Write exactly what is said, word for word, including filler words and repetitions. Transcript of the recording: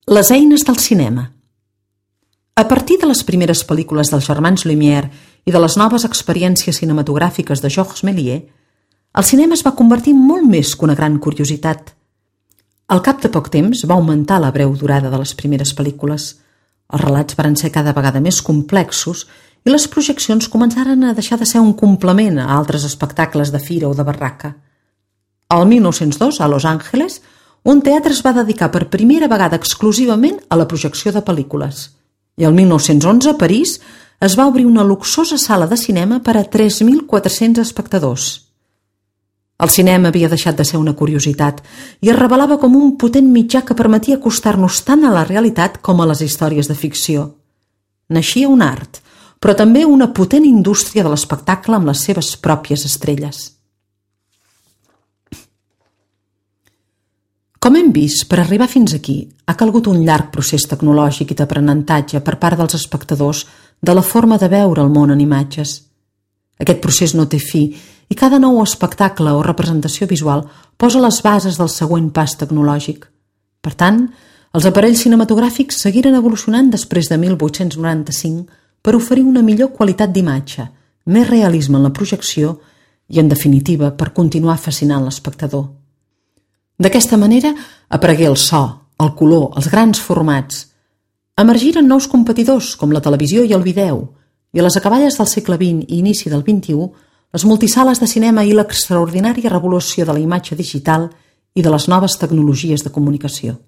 Les eines del cinema. A partir de les primeres pel·lícules dels germans Lumière i de les noves experiències cinematogràfiques de Georges Méliès, el cinema es va convertir en molt més que una gran curiositat. Al cap de poc temps va augmentar la breu durada de les primeres pel·lícules. Els relats van ser cada vegada més complexos i les projeccions començaren a deixar de ser un complement a altres espectacles de fira o de barraca. El mil nou-cents dos, a Los Angeles, un teatre es va dedicar per primera vegada exclusivament a la projecció de pel·lícules. I el mil nou-cents onze, a París, es va obrir una luxosa sala de cinema per a tres mil quatre-cents espectadors. El cinema havia deixat de ser una curiositat i es revelava com un potent mitjà que permetia acostar-nos tant a la realitat com a les històries de ficció. Naixia un art, però també una potent indústria de l'espectacle amb les seves pròpies estrelles. Com hem vist, per arribar fins aquí ha calgut un llarg procés tecnològic i d'aprenentatge per part dels espectadors de la forma de veure el món en imatges. Aquest procés no té fi i cada nou espectacle o representació visual posa les bases del següent pas tecnològic. Per tant, els aparells cinematogràfics seguiren evolucionant després de mil vuit-cents noranta-cinc per oferir una millor qualitat d'imatge, més realisme en la projecció i, en definitiva, per continuar fascinant l'espectador. D'aquesta manera aparegué el so, el color, els grans formats. Emergiren nous competidors com la televisió i el vídeo, i a les acaballes del segle vint i inici del vint-i-u, les multisales de cinema i l'extraordinària revolució de la imatge digital i de les noves tecnologies de comunicació.